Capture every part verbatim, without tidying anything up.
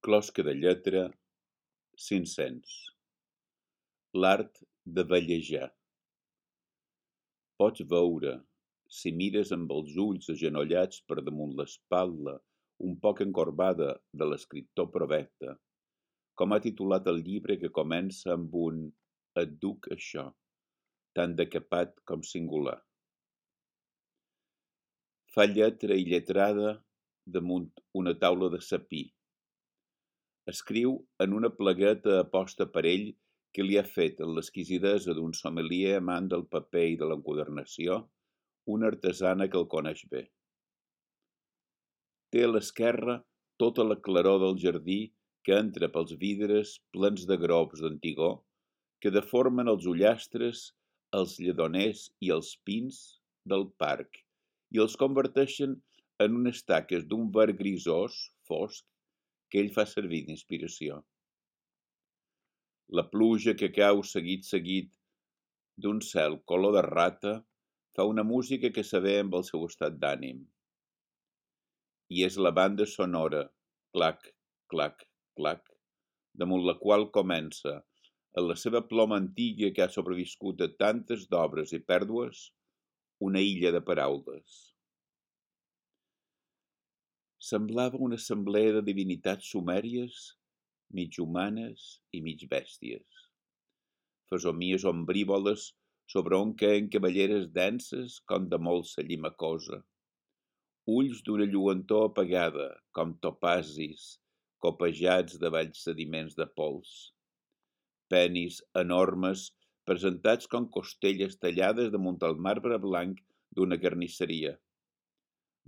Closca de lletra, cinc-cents. L'art de vellejar. Pots veure, si mires amb els ulls agenollats per damunt l'espatlla un poc encorbada de l'escriptor Provecte, com ha titulat el llibre que comença amb un «Et duc això», tan decapat com singular. Fa lletra i lletrada damunt una taula de sapí. Escriu en una plagueta aposta per ell que li ha fet, en l'exquisidesa d'un sommelier amant del paper i de l'enquadernació, una artesana que el coneix bé. Té a l'esquerra tota la claror del jardí que entra pels vidres plens de grops d'antigó que deformen els ullastres, els lledoners i els pins del parc i els converteixen en unes taques d'un verd grisós, fosc, que ell fa servir d'inspiració. La pluja que cau seguit seguit d'un cel color de rata fa una música que s'avé amb el seu estat d'ànim. I és la banda sonora, clac, clac, clac, damunt la qual comença, en la seva ploma antiga que ha sobreviscut a tantes d'obres i pèrdues, una illa de paraules. Semblava una assemblea de divinitats sumèries, mig humanes i mig bèsties. Fesomies ombrívoles sobre on queien cavalleres denses com de molsa llimacosa. Ulls d'una lluentor apagada, com topazis, copejats de valls sediments de pols. Penis enormes presentats com costelles tallades damunt el marbre blanc d'una carnisseria.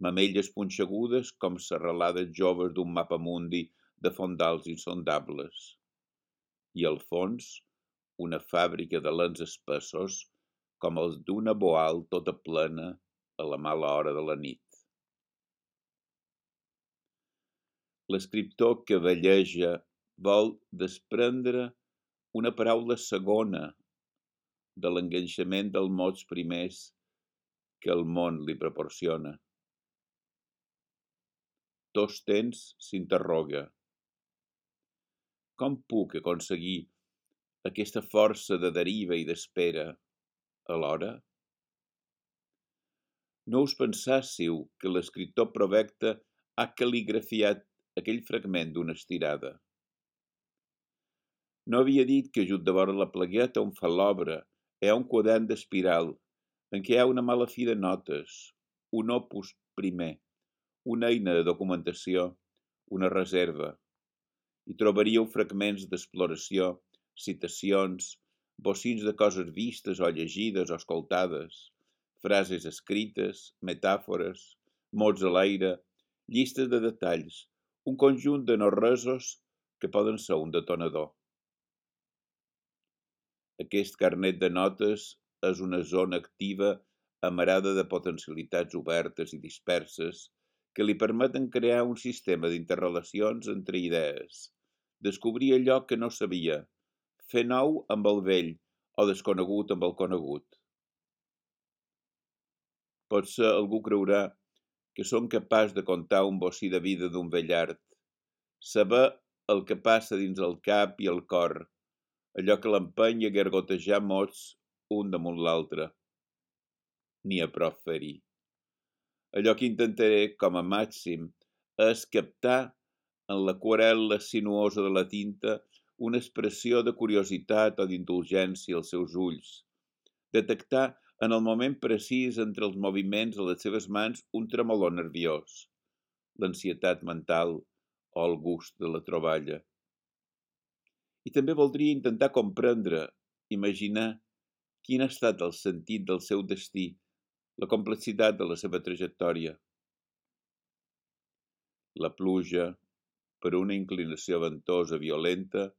Mamelles punxegudes com serralades joves d'un mapamundi de fondals insondables. I al fons, una fàbrica de lents espessos com els d'una boal tota plena a la mala hora de la nit. L'escriptor que velleja vol desprendre una paraula segona de l'enganxament dels mots primers que el món li proporciona. Tots temps s'interroga. Com puc aconseguir aquesta força de deriva i d'espera alhora? No us pensássiu que l'escriptor Provecte ha cal·ligrafiat aquell fragment d'una estirada. No havia dit que just de vora la plagueta on fa l'obra hi ha un quadern d'espiral en què hi ha una mala fi de notes, un opus primer, una eina de documentació, una reserva. Hi trobaríeu fragments d'exploració, citacions, bocins de coses vistes o llegides o escoltades, frases escrites, metàfores, mots a l'aire, llistes de detalls, un conjunt de no-resos que poden ser un detonador. Aquest carnet de notes és una zona activa amarada de potencialitats obertes i disperses que li permeten crear un sistema d'interrelacions entre idees, descobrir allò que no sabia, fer nou amb el vell o desconegut amb el conegut. Potser algú creurà que som capaç de contar un bocí de vida d'un vellart, saber el que passa dins el cap i el cor, allò que l'empeny a gargotejar mots un damunt l'altre. N'hi ha prou fer-hi. Allò que intentaré, com a màxim, és captar en l'aquarel·la sinuosa de la tinta una expressió de curiositat o d'indulgència als seus ulls, detectar en el moment precís entre els moviments de les seves mans un tremolor nerviós, l'ansietat mental o el gust de la troballa. I també voldria intentar comprendre, imaginar quin ha estat el sentit del seu destí, la complexitat de la seva trajectòria. La pluja, per una inclinació ventosa violenta,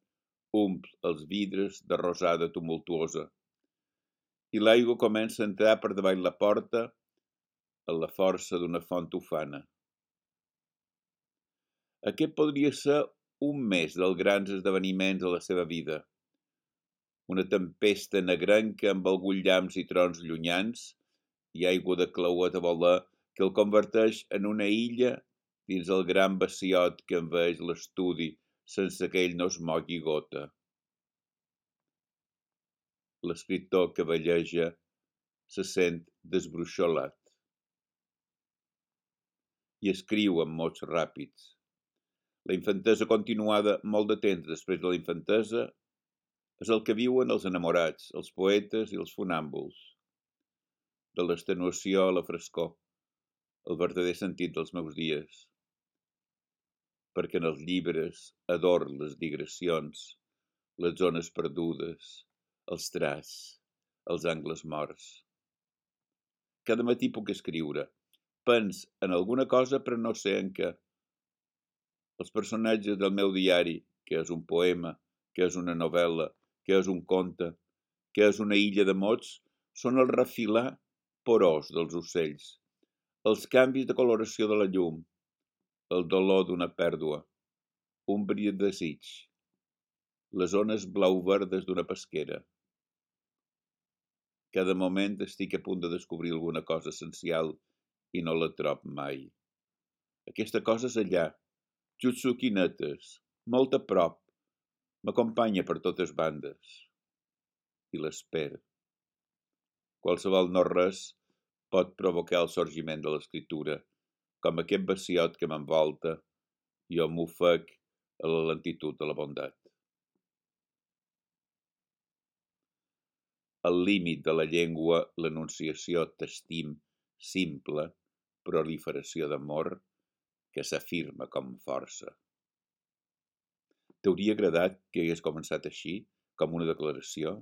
omple els vidres de rosada tumultuosa i l'aigua comença a entrar per davall la porta a la força d'una font ufana. Aquest podria ser un mes dels grans esdeveniments de la seva vida. Una tempesta negrenca amb alguns llamps i trons llunyans i aigua de clauet a voler que el converteix en una illa dins el gran baciot que envaeix l'estudi sense que ell no es mogui gota. L'escriptor que velleja se sent desbruixolat i escriu amb mots ràpids. La infantesa continuada molt de temps després de la infantesa és el que viuen els enamorats, els poetes i els funàmbuls. De l'extenuació a la frescor, el verdader sentit dels meus dies. Perquè en els llibres ador les digressions, les zones perdudes, els traç, els angles morts. Cada matí puc escriure. Pens en alguna cosa però no sé en què. Els personatges del meu diari, que és un poema, que és una novel·la, que és un conte, que és una illa de mots, són el refilar porós dels ocells, els canvis de coloració de la llum, el dolor d'una pèrdua, un bri de desig, les ones blau-verdes d'una pesquera. Cada moment estic a punt de descobrir alguna cosa essencial i no la trob mai. Aquesta cosa és allà, Jutsuki netes, molt a prop, m'acompanya per totes bandes. I l'espera. Qualsevol no-res pot provocar el sorgiment de l'escriptura, com aquest vaciot que m'envolta, jo m'ofec a la lentitud de la bondat. Al límit de la llengua, l'enunciació t'estim simple, proliferació d'amor, que s'afirma com força. T'hauria agradat que hagués començat així, com una declaració?